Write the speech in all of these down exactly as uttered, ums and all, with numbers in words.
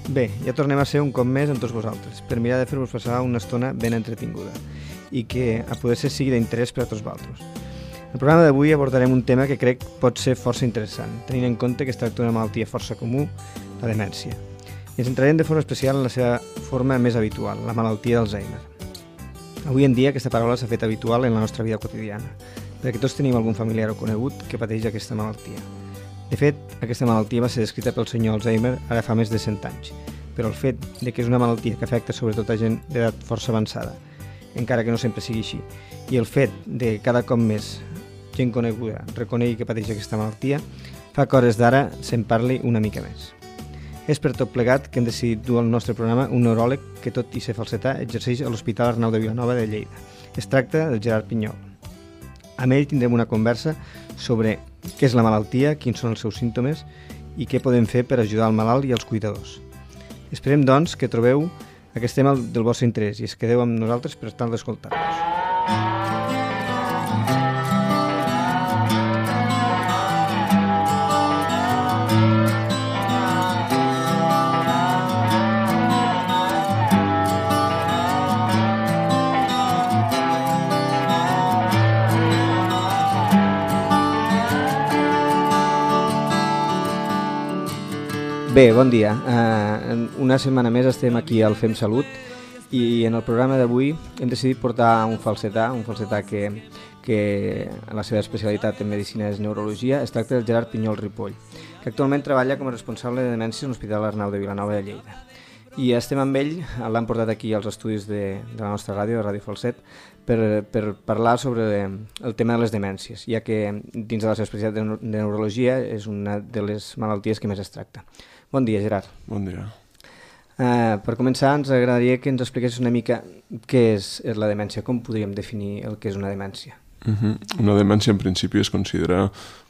Bé, ja tornem a ser un cop més amb tots vosaltres, per mirar de fer-vos passar una estona ben entretinguda i que a poder ser sigui d'interès per a tots vosaltres. En el programa d'avui abordarem un tema que crec pot ser força interessant, tenint en compte que es tracta d'una malaltia força comú, la demència. I ens centrarem de forma especial en la seva forma més habitual, la malaltia d'Alzheimer. Avui en dia aquesta paraula s'ha fet habitual en la nostra vida quotidiana, perquè tots tenim algun familiar o conegut que pateix aquesta malaltia. De fet, aquesta malaltia va ser descrita pel senyor Alzheimer ara fa més de cent anys, però el fet de que és una malaltia que afecta sobretot a gent d'edat força avançada, encara que no sempre sigui així, i el fet de que cada cop més gent coneguda reconegui que pateix aquesta malaltia, fa que hores d'ara se'n parli una mica més. És per tot plegat que hem decidit dur al nostre programa un neuròleg que, tot i ser falsetà, exerceix a l'Hospital Arnau de Vilanova de Lleida. Es tracta del Gerard Pinyol. Amb ell tindrem una conversa sobre què és la malaltia, quins són els seus símptomes i què podem fer per ajudar el malalt i els cuidadors. Esperem, doncs, que trobeu aquest tema del vostre interès i es quedeu amb nosaltres per tal d'escoltar-nos. Bé, bon dia. Uh, una setmana més estem aquí al Fem Salut i en el programa d'avui hem decidit portar un falsetà, un falsetà que, que la seva especialitat en medicina és neurologia. Es tracta del Gerard Pinyol Ripoll, que actualment treballa com a responsable de demència a l'Hospital Arnau de Vilanova de Lleida. I estem amb ell, l'han portat aquí als estudis de, de la nostra ràdio, de Ràdio Falset, per, per parlar sobre el tema de les demències, ja que dins de la seva especialitat de, de neurologia és una de les malalties que més es tracta. Bon dia, Gerard. Bon dia. Uh, per començar, ens agradaria que ens expliquessis una mica què és, és la demència, com podríem definir el que és una demència. Uh-huh. Una demència, en principi, es considera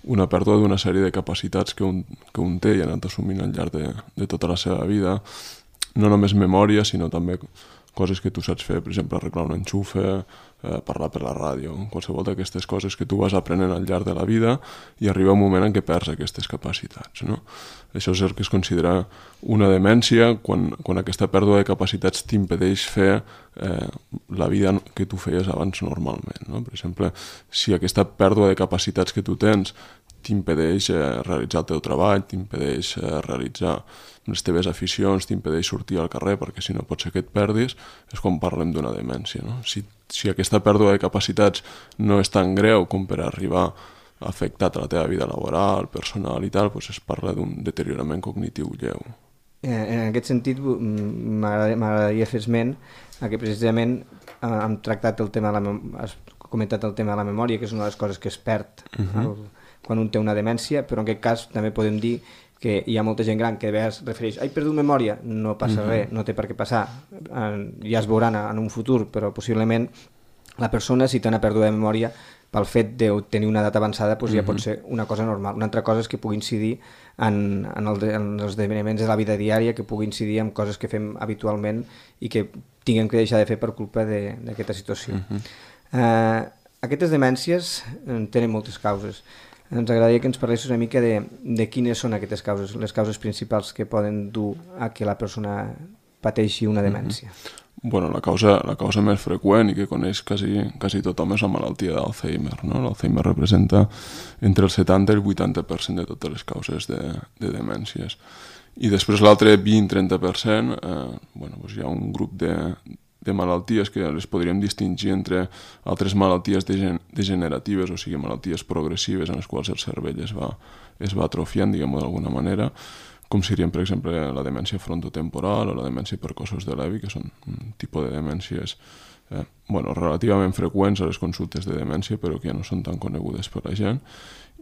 una pèrdua d'una sèrie de capacitats que un, que un té i ha anat assumint al llarg de, de tota la seva vida. No només memòria, sinó també coses que tu saps fer, per exemple, arreglar un enxufe, eh, parlar per la ràdio, qualsevol d'aquestes coses que tu vas aprenent al llarg de la vida i arriba un moment en què perds aquestes capacitats, no? Això és el que es considera una demència quan, quan aquesta pèrdua de capacitats t'impedeix fer eh, la vida que tu feies abans normalment, no? Per exemple, si aquesta pèrdua de capacitats que tu tens t'impedeix eh, realitzar el teu treball, t'impedeix eh, realitzar les teves aficions, t'impedeix sortir al carrer perquè si no pot ser que et perdis, és quan parlem d'una demència, no? Si, si aquesta pèrdua de capacitats no és tan greu com per arribar a afectar la teva vida laboral, personal i tal, doncs es parla d'un deteriorament cognitiu lleu. En aquest sentit, m'agradaria fer esment a que precisament hem tractat el tema de la, has comentat el tema de la memòria, que és una de les coses que es perd uh-huh. el, quan un té una demència, però en aquest cas també podem dir que hi ha molta gent gran que de vegades refereix «He perdut memòria», no passa uh-huh. res, no té per què passar, ja es veuran en un futur, però possiblement la persona, si té una pèrdua de memòria, pel fet de tenir una edat avançada, doncs ja uh-huh. pot ser una cosa normal. Una altra cosa és que pugui incidir en, en, el, en els esdeveniments de la vida diària, que pugui incidir en coses que fem habitualment i que tinguem que deixar de fer per culpa d'aquesta situació. Uh-huh. Uh, aquestes demències tenen moltes causes. Ens agradaria que ens parlessis una mica de, de quines són aquestes causes, les causes principals que poden dur a que la persona pateixi una demència. Mm-hmm. Bueno, la causa, la causa més freqüent i que coneix quasi, quasi tothom és la malaltia d'Alzheimer, no? L'Alzheimer representa entre el setanta i el vuitanta per cent de totes les causes de, de demències. I després l'altre vint a trenta per cent, eh, bueno, doncs hi ha un grup de, de malalties que les podríem distingir entre altres malalties degeneratives, o sigui, malalties progressives en les quals el cervell es va, es va atrofiant, diguem-ho d'alguna manera, com serien, per exemple, la demència frontotemporal o la demència per cossos de Lewy, que són un tipus de demències eh, bueno, relativament freqüents a les consultes de demència, però que ja no són tan conegudes per la gent.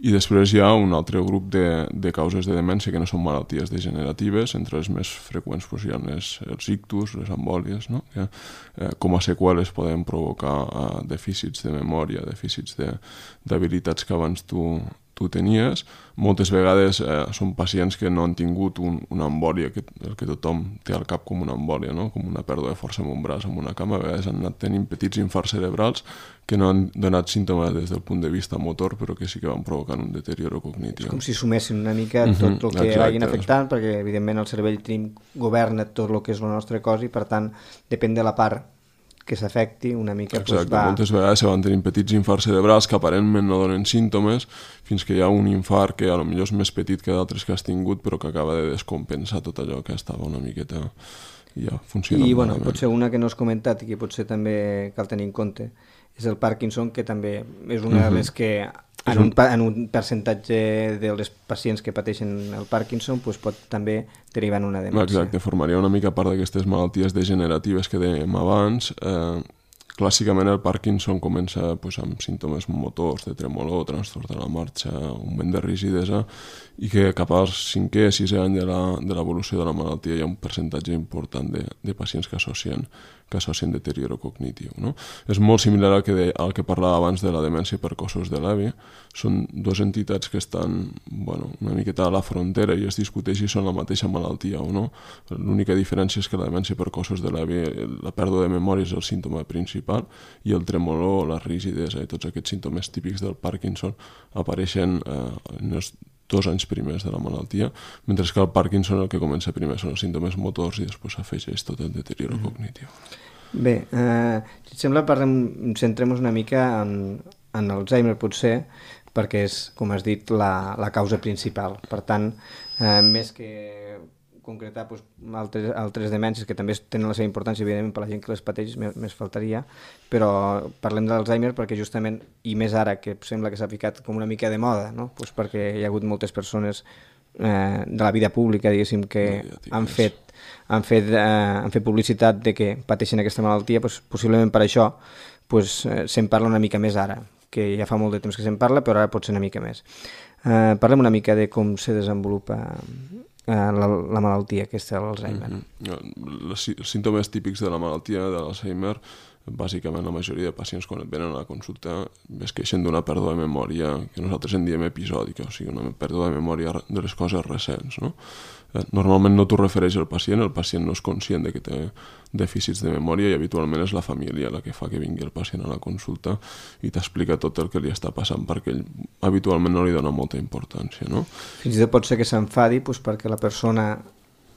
I després hi ha un altre grup de, de causes de demència que no són malalties degeneratives, entre les més freqüents doncs, hi ha les, els ictus, les embòlies, no? que eh, com a seqüeles poden provocar eh, dèficits de memòria, dèficits d'habilitats que abans tu, tu tenies. Moltes vegades eh, són pacients que no han tingut un, una embòlia, que, el que tothom té al cap com una embòlia, no? Com una pèrdua de força en un braç, en una cama. A vegades han anat tenint petits infarts cerebrals que no han donat símptomes des del punt de vista motor, però que sí que van provocant un deterioro cognitiu. És com si sumessin una mica tot el que vagin afectant, perquè evidentment el cervell tenim, governa tot el que és el nostre cos i per tant depèn de la part que s'afecti una mica. Exacte, pues, va... moltes vegades se van tenint petits infarts cerebrals que aparentment no donen símptomes fins que hi ha un infart que potser és més petit que d'altres que has tingut però que acaba de descompensar tot allò que estava una miqueta i ja funciona. I bueno, potser una que no has comentat i que potser també cal tenir en compte és el Parkinson, que també és una de les que en un, en un percentatge dels pacients que pateixen el Parkinson pues, pot també derivar en una demència. Exacte, formaria una mica part d'aquestes malalties degeneratives que dèiem abans. Eh, clàssicament el Parkinson comença pues, amb símptomes motors, de tremolor, trastorn de la marxa, augment de rigidesa, i que cap al cinquè, sisè any de l'evolució de la malaltia hi ha un percentatge important de, de pacients que associen que associen deterioro cognitiu. No? És molt similar al que, de, al que parlava abans de la demència per cossos de Levy. Són dues entitats que estan bueno, una miqueta a la frontera i es discuteix si són la mateixa malaltia o no. L'única diferència és que la demència per cossos de Levy, la pèrdua de memòria és el símptoma principal i el tremolor, la rigidesa i tots aquests símptomes típics del Parkinson apareixen eh, en els dos anys primers de la malaltia, mentre que el Parkinson el que comença primer són els símptomes motors i després s'afegeix tot el deterioro mm. cognitiu. Bé, eh, si et sembla, parlem, centrem-nos una mica en, en Alzheimer potser, perquè és, com has dit, la, la causa principal. Per tant, eh, més que concretar pues, altres, altres demències que també tenen la seva importància, evidentment, per la gent que les pateix, més, més faltaria, però parlem d'Alzheimer perquè justament, i més ara, que sembla que s'ha ficat com una mica de moda, no? Pues perquè hi ha hagut moltes persones eh, de la vida pública, diguéssim, que han fet, han, fet, eh, han fet publicitat de que pateixen aquesta malaltia, pues, possiblement per això pues, eh, se'n parla una mica més ara, que ja fa molt de temps que se'n parla, però ara pot ser una mica més. Eh, parlem una mica de com se desenvolupa La, la malaltia aquesta de l'Alzheimer. Mm-hmm. Els símptomes típics de la malaltia de l'Alzheimer, bàsicament la majoria de pacients quan et venen a la consulta es queixen d'una pèrdua de memòria que nosaltres en diem episòdica, o sigui, una pèrdua de memòria de les coses recents. No? Normalment no t'ho refereix el pacient, el pacient no és conscient de que té dèficits de memòria i habitualment és la família la que fa que vingui el pacient a la consulta i t'explica tot el que li està passant perquè ell habitualment no li dona molta importància. No? Fins i tot pot ser que s'enfadi pues, perquè la persona,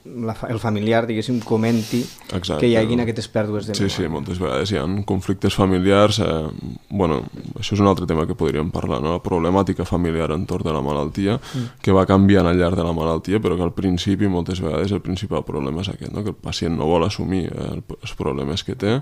la, el familiar, diguéssim, comenti Exacte. Que hi haguin aquestes pèrdues de memòria. Sí, sí, moltes vegades hi ha conflictes familiars. Eh, bueno, això és un altre tema que podríem parlar, no? La problemàtica familiar entorn de la malaltia, mm. que va canviant al llarg de la malaltia, però que al principi, moltes vegades, el principal problema és aquest, no? Que el pacient no vol assumir eh, els problemes que té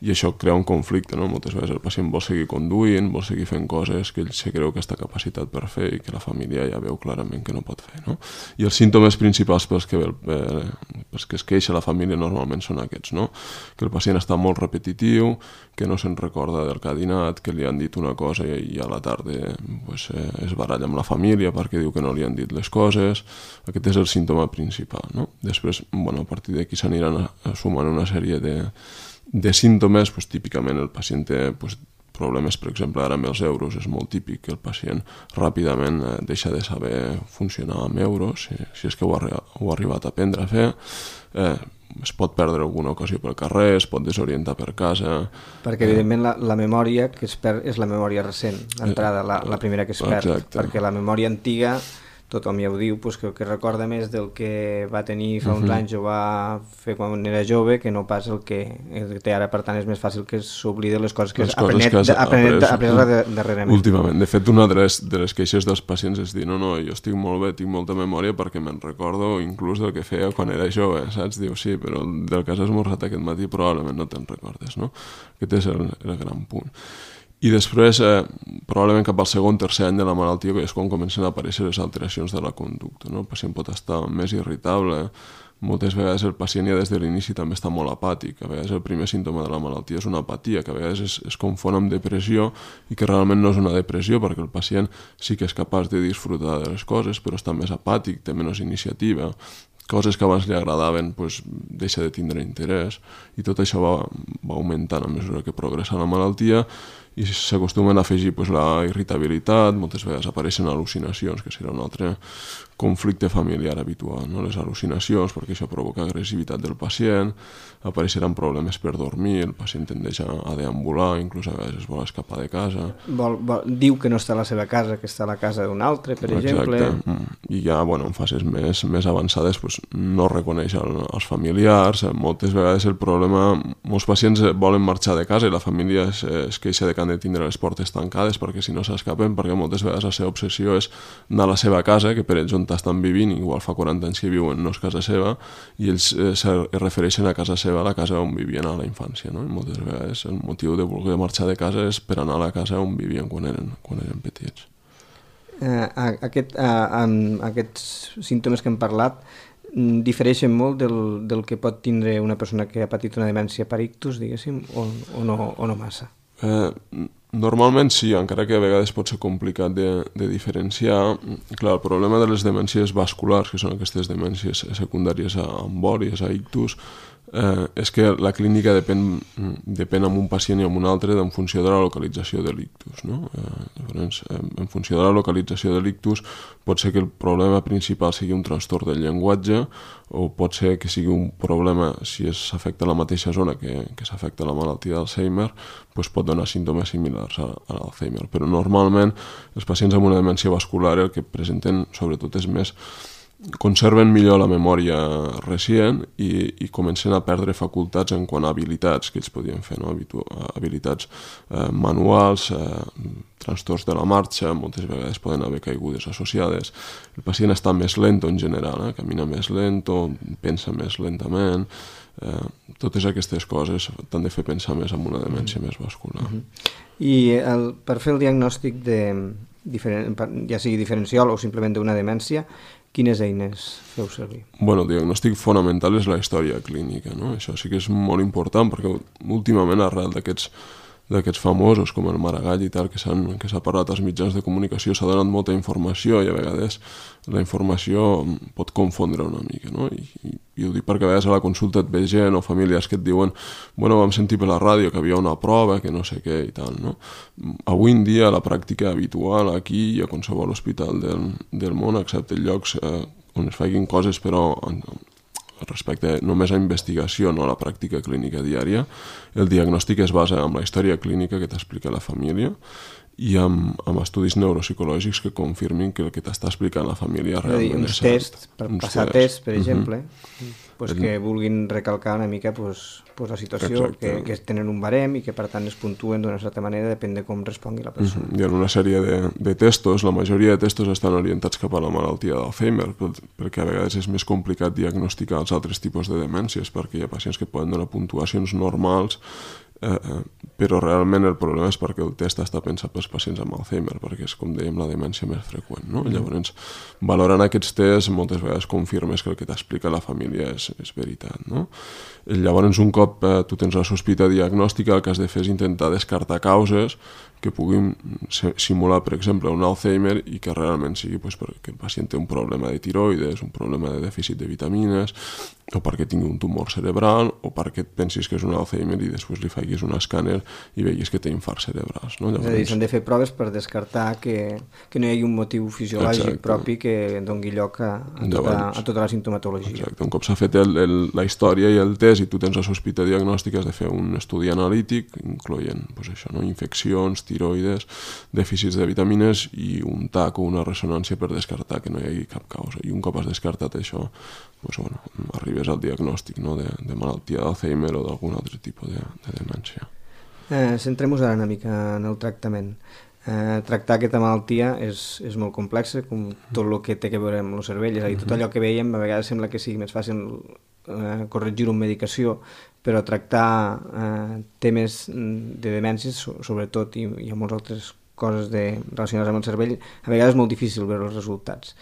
i això crea un conflicte, no? Moltes vegades el pacient vol seguir conduint, vol seguir fent coses que ell se creu que està capacitat per fer i que la família ja veu clarament que no pot fer, no? I els símptomes principals pels que, eh, pels que es queixa la família normalment són aquests, no? Que el pacient està molt repetitiu, que no se'n recorda del que ha dinat, que li han dit una cosa i a la tarda pues, eh, es baralla amb la família perquè diu que no li han dit les coses. Aquest és el símptoma principal, no? Després, bueno, a partir d'aquí s'aniran sumant una sèrie de de símptomes, pues, típicament el pacient té pues, problemes, per exemple, ara amb els euros, és molt típic que el pacient ràpidament eh, deixa de saber funcionar amb euros, si, si és que ho ha, ho ha arribat a aprendre a fer, eh, es pot perdre alguna ocasió pel carrer, es pot desorientar per casa... Perquè, evidentment, la, la memòria que es perd és la memòria recent, l'entrada, la, la primera que es perd, Exacte. Perquè la memòria antiga... tothom ja ho diu, pues, que, que recorda més del que va tenir fa uns uh-huh. anys o va fer quan era jove que no pas el que, el que té ara. Per tant, és més fàcil que s'oblide les coses que has aprenet, que has aprenet, aprenet, aprenet darrerament. Últimament. De fet, una de les, de les queixes dels pacients és dir, no, no, jo estic molt bé, tinc molta memòria perquè me'n recordo inclús del que feia quan era jove, saps? Diu, sí, però del que has esmorzat aquest matí probablement no te'n recordes, no? Aquest és el, el gran punt. I després, eh, probablement cap al segon, tercer any de la malaltia, és quan comencen a aparèixer les alteracions de la conducta. No? El pacient pot estar més irritable, moltes vegades el pacient ja des de l'inici també està molt apàtic, a vegades el primer símptoma de la malaltia és una apatia, que a vegades es, es confon amb depressió i que realment no és una depressió perquè el pacient sí que és capaç de disfrutar de les coses, però està més apàtic, té menys iniciativa, coses que abans li agradaven pues, deixa de tindre interès i tot això va, va augmentant a mesura que progressa la malaltia i s'acostumen a afegir pues, la irritabilitat, moltes vegades apareixen al·lucinacions, que serà un altre conflicte familiar habitual, no? Les al·lucinacions, perquè això provoca agressivitat del pacient, apareixeran problemes per dormir, el pacient tendeix a deambular, inclús a vegades es vol escapar de casa. Vol, vol, diu que no està a la seva casa, que està a la casa d'un altre, per Exacte. exemple. I ja, bueno, en fases més, més avançades pues, no reconeix el, els familiars, moltes vegades el problema, molts pacients volen marxar de casa i la família es, es queixa de que han de tindre les portes tancades perquè si no s'escapen, perquè moltes vegades la seva obsessió és anar a la seva casa, que per ells on estan vivint, igual fa quaranta anys que viuen, no és casa seva, i ells eh, es refereixen a casa seva, a la casa on vivien a la infància, no? I moltes vegades el motiu de voler marxar de casa és per anar a la casa on vivien quan eren, quan eren petits. Eh, aquest, eh, aquests símptomes que hem parlat difereixen molt del, del que pot tindre una persona que ha patit una demència per ictus, diguéssim, o, o, no, o no massa? Eh, normalment sí, encara que a vegades pot ser complicat de, de diferenciar. Clar, el problema de les demències vasculars, que són aquestes demències secundàries a embòlies, a ictus, eh, és que la clínica depèn, depèn amb un pacient i amb un altre en funció de la localització de l'ictus, no? Eh, llavors, en funció de la localització de l'ictus pot ser que el problema principal sigui un trastorn del llenguatge o pot ser que sigui un problema, si s'afecta la mateixa zona que, que s'afecta la malaltia d'Alzheimer, doncs pot donar símptomes similars a, a l'Alzheimer. Però normalment els pacients amb una demència vascular el que presenten sobretot és més conserven millor la memòria recient i, i comencen a perdre facultats en quant a habilitats que ells podien fer, no? Habitu habilitats eh, manuals, eh, trastorns de la marxa, moltes vegades poden haver caigudes associades. El pacient està més lento en general, eh? Camina més lento, pensa més lentament, eh, totes aquestes coses t'han de fer pensar més en una demència mm. més vascular. Mm -hmm. I el, per fer el diagnòstic de, diferent, ja sigui diferencial o simplement d'una demència, quines eines feu servir? Bueno, el diagnòstic fonamental és la història clínica, no? Això sí que és molt important perquè últimament arrel d'aquests d'aquests famosos com el Maragall i tal que s'ha parlat als mitjans de comunicació s'ha donat molta informació i a vegades la informació pot confondre una mica, no? I, i, i ho dic perquè a vegades a la consulta et ve gent o famílies que et diuen bueno, vam sentir per la ràdio que havia una prova, que no sé què i tal, no? Avui en dia la pràctica habitual aquí i a qualsevol hospital del, del món, excepte llocs eh, on es facin coses però en, respecte només a investigació, no a la pràctica clínica diària, el diagnòstic es basa en la història clínica que t'explica la família i amb, amb estudis neuropsicològics que confirmin que el que t'està explicant la família realment és cert. Uns tests, per uns passar tests, per exemple, uh-huh. pues que vulguin recalcar una mica pues, pues la situació, que, que tenen un barem i que per tant es puntuen d'una certa manera, depèn de com respongui la persona. Uh-huh. Hi ha una sèrie de, de testos, la majoria de testos estan orientats cap a la malaltia d'Alzheimer, perquè a vegades és més complicat diagnosticar els altres tipus de demències, perquè hi ha pacients que poden donar puntuacions normals, Eh, eh, però realment el problema és perquè el test està pensat pels pacients amb Alzheimer, perquè és, com dèiem, la demència més freqüent, no? Mm. Llavors, valorant aquests tests, moltes vegades confirmes que el que t'explica la família és, és veritat, no? Llavors, un cop eh, tu tens la sospita diagnòstica, el que has de fer és intentar descartar causes que puguin simular, per exemple, un Alzheimer i que realment sigui pues, perquè el pacient té un problema de tiroides, un problema de dèficit de vitamines, o perquè tingui un tumor cerebral, o perquè et pensis que és un Alzheimer i després li facis un escàner i veguis que té infarts cerebrals. No? Llavors... És a dir, s'han de fer proves per descartar que, que no hi hagi un motiu fisiològic Exacte. propi que doni lloc a, a, tota, a tota la sintomatologia. Exacte. Un cop s'ha fet el, el, la història i el test i tu tens la sospita diagnòstica, has de fer un estudi analític, incloent pues, això, no? infeccions, tiroides, dèficits de vitamines i un tac o una ressonància per descartar que no hi hagi cap causa. I un cop has descartat això, pues, bueno, arribes al diagnòstic, no? de, de malaltia d'Alzheimer o d'algun altre tipus de, de demència. Eh, Centrem-nos ara una mica en el tractament. Eh, tractar aquesta malaltia és, és molt complexa, com tot el que té a veure amb el cervell, és a dir, tot allò que veiem a vegades sembla que sigui més fàcil eh, corregir-ho amb medicació, però tractar eh, temes de demències, sobretot, i, i amb moltes altres coses de, relacionades amb el cervell, a vegades és molt difícil veure els resultats.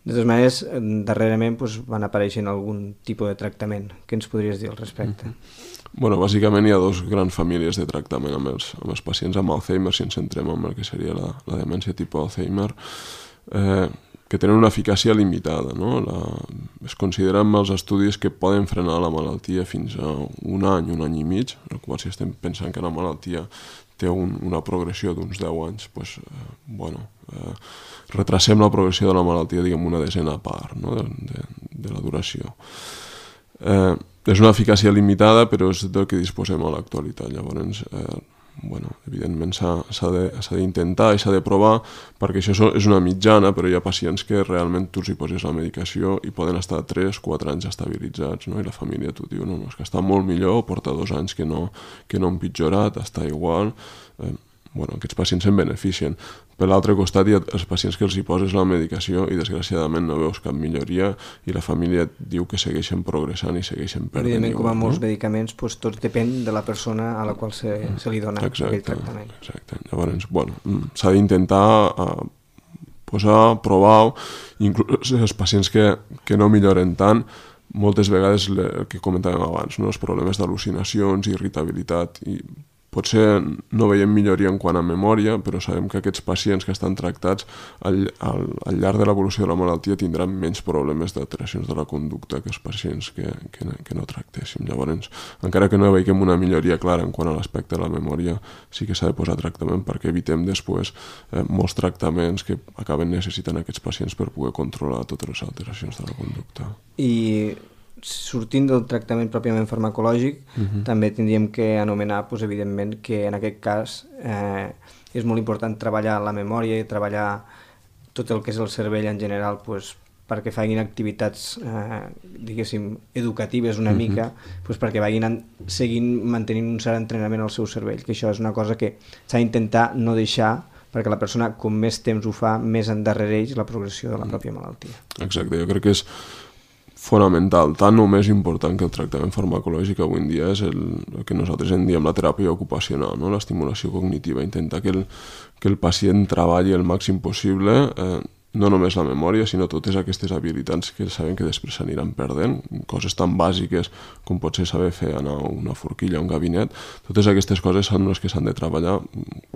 De totes maneres, darrerament doncs, van apareixent algun tipus de tractament. Què ens podries dir al respecte? Mm-hmm. Bueno, bàsicament hi ha dos grans famílies de tractament amb els, amb els pacients amb Alzheimer, si ens centrem en el que seria la, la demència tipus Alzheimer, eh, que tenen una eficàcia limitada. No? La, es consideren els estudis que poden frenar la malaltia fins a un any, un any i mig, en el qual si estem pensant que la malaltia té un, una progressió d'uns deu anys, pues, eh, bueno, eh, retrasem la progressió de la malaltia, diguem, una desena part, no? de, de, de la duració. Eh, és una eficàcia limitada, però és del que disposem a l'actualitat. Llavors, eh, bueno, evidentment s'ha d'intentar i s'ha de provar, perquè això és una mitjana, però hi ha pacients que realment tu hi poses la medicació i poden estar tres quatre anys estabilitzats, no? I la família tu diu, no, no, és que està molt millor, porta dos anys que no, que no ha empitjorat, està igual. Eh, bueno, aquests pacients se'n beneficien. Per l'altre costat hi ha els pacients que els hi poses la medicació i desgraciadament no veus cap milloria i la família diu que segueixen progressant i segueixen perdent. Evidentment, com a molts no? medicaments, doncs, tot depèn de la persona a la qual se, se li dona exacte, aquell tractament. Exacte. Llavors, bueno, s'ha d'intentar uh, posar, provar, inclús els pacients que, que no milloren tant, moltes vegades el que comentàvem abans, no? Els problemes d'al·lucinacions, irritabilitat i potser no veiem milloria en quant a memòria, però sabem que aquests pacients que estan tractats al, al, al llarg de l'evolució de la malaltia tindran menys problemes d'alteracions de la conducta que els pacients que, que, que no tractéssim. Llavors, encara que no veiem una milloria clara en quant a l'aspecte de la memòria, sí que s'ha de posar tractament perquè evitem després eh, molts tractaments que acaben necessitant aquests pacients per poder controlar totes les alteracions de la conducta. I sortint del tractament pròpiament farmacològic, uh-huh. també tindríem que anomenar, doncs, evidentment, que en aquest cas eh, és molt important treballar la memòria i treballar tot el que és el cervell en general, doncs, perquè facin activitats, eh, diguéssim, educatives una uh-huh. mica, doncs, perquè vagin seguint mantenint un cert entrenament al seu cervell, que això és una cosa que s'ha d'intentar no deixar, perquè la persona, com més temps ho fa, més endarrereix la progressió de la pròpia malaltia. Exacte, jo crec que és fonamental, tant o més important que el tractament farmacològic avui en dia és el, el que nosaltres en diem la teràpia ocupacional, no? L'estimulació cognitiva, intentar que el, que el pacient treballi el màxim possible, eh, no només la memòria, sinó totes aquestes habilitats que sabem que després s'aniran perdent, coses tan bàsiques com pot ser saber fer anar una forquilla a un gabinet, totes aquestes coses són les que s'han de treballar,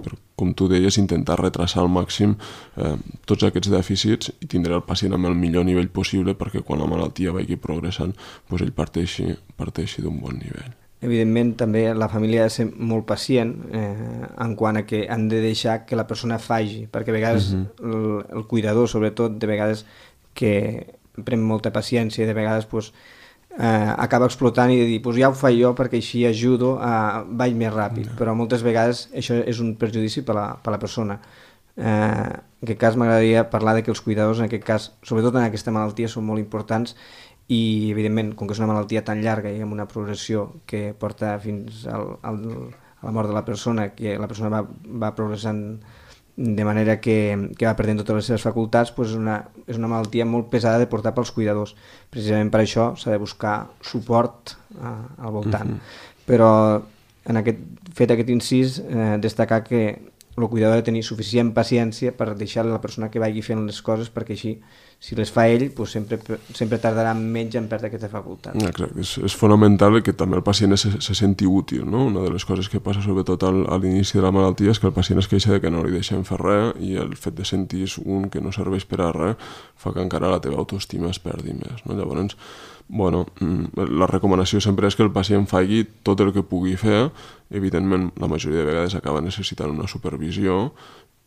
per, com tu deies, intentar retrasar al màxim eh, tots aquests dèficits i tindre el pacient amb el millor nivell possible perquè quan la malaltia vagi progressant, doncs ell parteixi, parteixi d'un bon nivell. Evidentment, també la família ha de ser molt pacient eh, en quant a que han de deixar que la persona faci, perquè a vegades uh-huh. el, el cuidador, sobretot, de vegades que pren molta paciència i de vegades pues, eh, acaba explotant i de dir, pues ja ho faig jo perquè així ajudo a vaig més ràpid, uh-huh. però moltes vegades això és un perjudici per la, per la persona. Eh, en aquest cas m'agradaria parlar de que els cuidadors, en aquest cas, sobretot en aquesta malaltia, són molt importants i, evidentment, com que és una malaltia tan llarga i amb una progressió que porta fins al, al, a la mort de la persona, que la persona va, va progressant de manera que, que va perdent totes les seves facultats, doncs és, una, és una malaltia molt pesada de portar pels cuidadors. Precisament per això s'ha de buscar suport a, al voltant. Uh-huh. Però, en aquest, fet aquest incís, eh, destacar que el cuidador ha de tenir suficient paciència per deixar a la persona que vagi fent les coses, perquè així, si les fa ell, doncs sempre, sempre tardarà menys en perdre aquesta facultat. Exacte, és, és fonamental que també el pacient se, se senti útil, no? Una de les coses que passa sobretot al, a l'inici de la malaltia és que el pacient es queixa de que no li deixem fer res i el fet de sentir un que no serveix per a res fa que encara la teva autoestima es perdi més, no? Llavors, bueno, la recomanació sempre és que el pacient faci tot el que pugui fer. Evidentment, la majoria de vegades acaba necessitant una supervisió,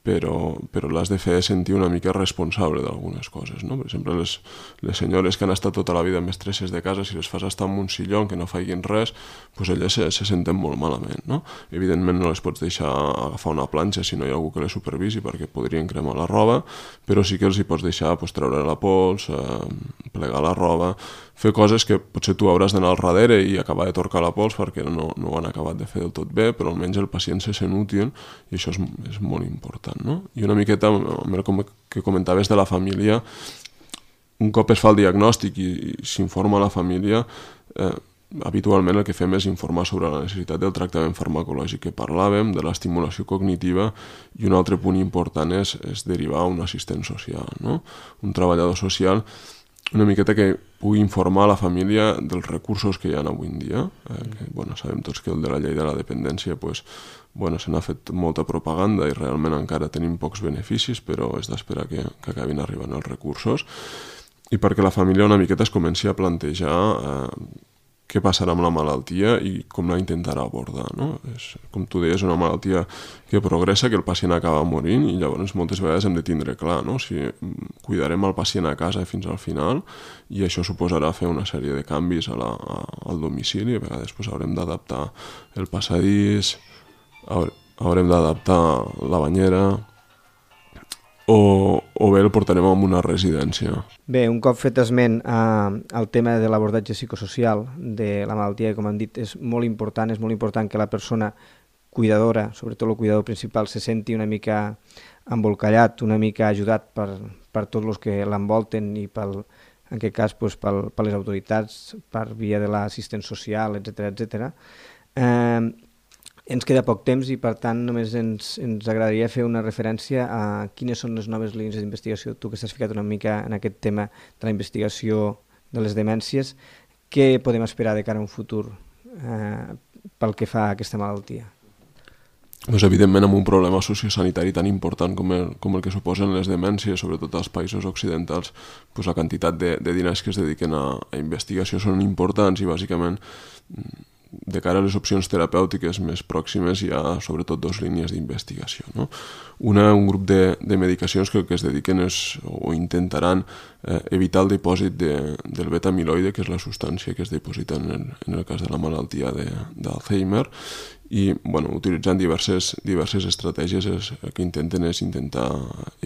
però, però l'has de fer sentir una mica responsable d'algunes coses, no? Per exemple, les, les senyores que han estat tota la vida mestresses de casa, si les fas estar en un silló que no facin res, doncs elles se, se senten molt malament, no? Evidentment no les pots deixar agafar una planxa si no hi ha algú que les supervisi perquè podrien cremar la roba, però sí que els hi pots deixar pues, treure la pols, eh, plegar la roba, fer coses que potser tu hauràs d'anar al darrere i acabar de torcar la pols perquè no, no ho han acabat de fer del tot bé, però almenys el pacient se sent útil i això és, és molt important, no? I una miqueta, amb el que comentaves de la família, un cop es fa el diagnòstic i, i s'informa a la família, eh, habitualment el que fem és informar sobre la necessitat del tractament farmacològic que parlàvem, de l'estimulació cognitiva, i un altre punt important és, és derivar un assistent social, no? Un treballador social una miqueta que pugui informar la família dels recursos que hi ha avui en dia. Eh, que, bueno, sabem tots que el de la llei de la dependència pues, bueno, se n'ha fet molta propaganda i realment encara tenim pocs beneficis, però és d'esperar que, que acabin arribant els recursos. I perquè la família una miqueta es comenci a plantejar eh, què passarà amb la malaltia i com la intentarà abordar, no? És, com tu deies, una malaltia que progressa, que el pacient acaba morint i llavors moltes vegades hem de tindre clar, no? Si cuidarem el pacient a casa fins al final i això suposarà fer una sèrie de canvis a la, a, al domicili, a vegades pues, haurem d'adaptar el passadís, haurem d'adaptar la banyera, O, o bé el portarem a una residència. Bé, un cop fet esment eh, al tema de l'abordatge psicosocial de la malaltia, com hem dit, és molt important, és molt important que la persona cuidadora, sobretot el cuidador principal, se senti una mica embolcallat, una mica ajudat per, per tots els que l'envolten i pel, en aquest cas pues, pel, per les autoritats, per via de l'assistent social, etcètera, etcètera. Eh, Ens queda poc temps i, per tant, només ens, ens agradaria fer una referència a quines són les noves línies d'investigació. Tu que estàs ficat una mica en aquest tema de la investigació de les demències, què podem esperar de cara a un futur eh, pel que fa a aquesta malaltia? Pues, evidentment, amb un problema sociosanitari tan important com el, com el que suposen les demències, sobretot als països occidentals, pues, la quantitat de, de diners que es dediquen a, a investigació són importants i, bàsicament, de cara a les opcions terapèutiques més pròximes hi ha sobretot dues línies d'investigació, no? Una, un grup de, de medicacions que el que es dediquen és, o intentaran eh, evitar el dipòsit de, del beta-amiloide, que és la substància que es diposita en el, en el cas de la malaltia d'Alzheimer, i bueno, utilitzant diverses, diverses estratègies es, el que intenten és intentar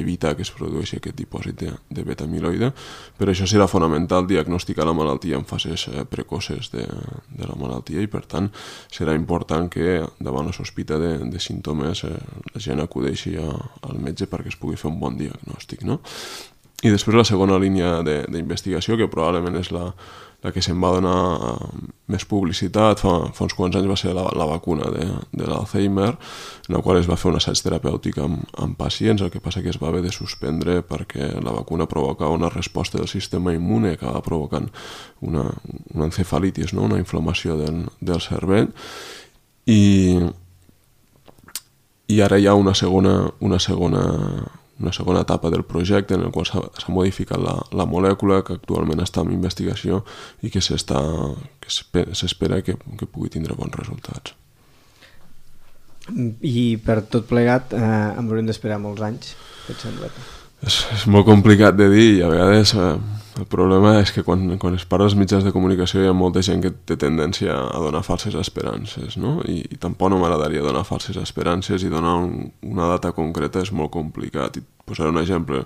evitar que es produeixi aquest dipòsit de, de beta-amiloide. Per això serà fonamental diagnosticar la malaltia en fases eh, precoces de, de la malaltia i per tant serà important que davant la sospita de, de símptomes eh, la gent acudeixi a, al metge perquè es pugui fer un bon diagnòstic, no? I després la segona línia d'investigació, que probablement és la, la que se'n va donar més publicitat, fa, fa uns quants anys va ser la, la vacuna de, de l'Alzheimer, en la qual es va fer un assaig terapèutic amb, amb pacients, el que passa que es va haver de suspendre perquè la vacuna provocava una resposta del sistema immune que acaba provocant una, una encefalitis, no? Una inflamació del, del cervell, i, i ara hi ha una segona, una segona una segona etapa del projecte en el qual s'ha modificat la, la molècula que actualment està en investigació i que s'espera que, que pugui tindre bons resultats. I per tot plegat eh, em haurem d'esperar molts anys, què et sembla? És, és molt complicat de dir i a vegades eh, el problema és que quan, quan es parla als mitjans de comunicació hi ha molta gent que té tendència a donar falses esperances, no? I, i tampoc no m'agradaria donar falses esperances i donar un, una data concreta és molt complicat. I posaré un exemple.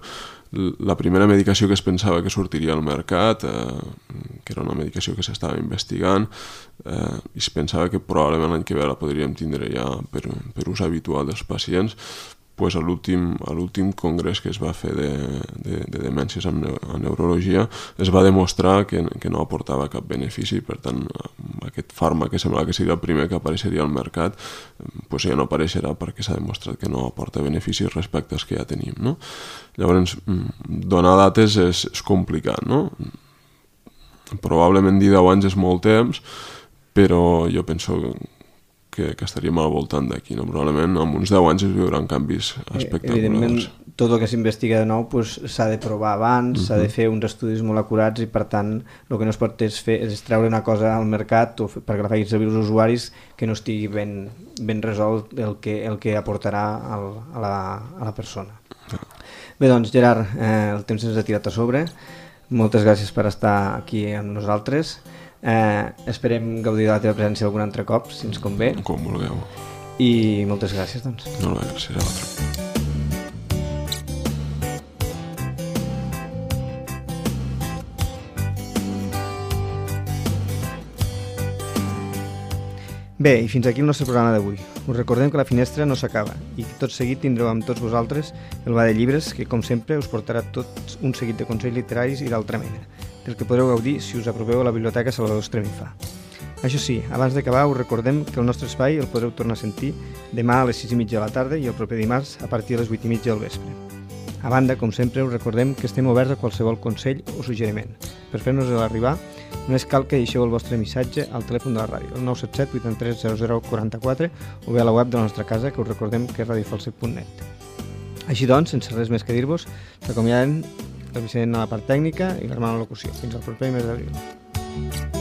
La primera medicació que es pensava que sortiria al mercat, eh, que era una medicació que s'estava investigant, eh, i es pensava que probablement l'any que ve la podríem tindre ja per, per ús habitual dels pacients, pues a l'últim congrés que es va fer de, de, de demències en, en neurologia es va demostrar que, que no aportava cap benefici, per tant aquest fàrmac que sembla que seria el primer que apareixeria al mercat pues ja no apareixerà perquè s'ha demostrat que no aporta beneficis respecte als que ja tenim, no? Llavors donar dates és, és complicat, no? Probablement dir deu anys és molt temps, però jo penso que, que estaríem al voltant d'aquí, no? Probablement en uns deu anys es veuran canvis espectaculars. Evidentment, tot el que s'investiga de nou pues, s'ha de provar abans, uh-huh. s'ha de fer uns estudis molt acurats i per tant el que no es pot és, fer, és treure una cosa al mercat o fer, perquè la facin servir els usuaris que no estigui ben, ben resolt el que, el que aportarà al, a, la, a la persona. Uh-huh. Bé, doncs Gerard, eh, el temps ens ha tirat a sobre. Moltes gràcies per estar aquí amb nosaltres. Eh, esperem gaudir de la teva presència algun altre cop, si ens convé. Com vulgueu. I moltes gràcies, doncs. No, no, gràcies a l'altre. Bé, i fins aquí el nostre programa d'avui. Us recordem que la finestra no s'acaba i que tot seguit tindreu amb tots vosaltres el Ba de Llibres, que com sempre us portarà tot un seguit de consells literaris i d'altra mena, del que podreu gaudir si us apropeu a la Biblioteca Salvador Estremifà. Això sí, abans d'acabar us recordem que el nostre espai el podreu tornar a sentir demà a les sis i mitja de la tarda i el proper dimarts a partir de les vuit i mitja del vespre. A banda, com sempre, us recordem que estem oberts a qualsevol consell o suggeriment. Per fer-nos-el arribar, només cal que deixeu el vostre missatge al telèfon de la ràdio, el nou set set vuit tres zero zero quatre quatre, o bé a la web de la nostra casa, que us recordem que és radio falset punt net. Així doncs, sense res més que dir-vos, s'acomiaden el Vicent a la part tècnica i l'Armand a la locució. Fins al proper mes d'abril.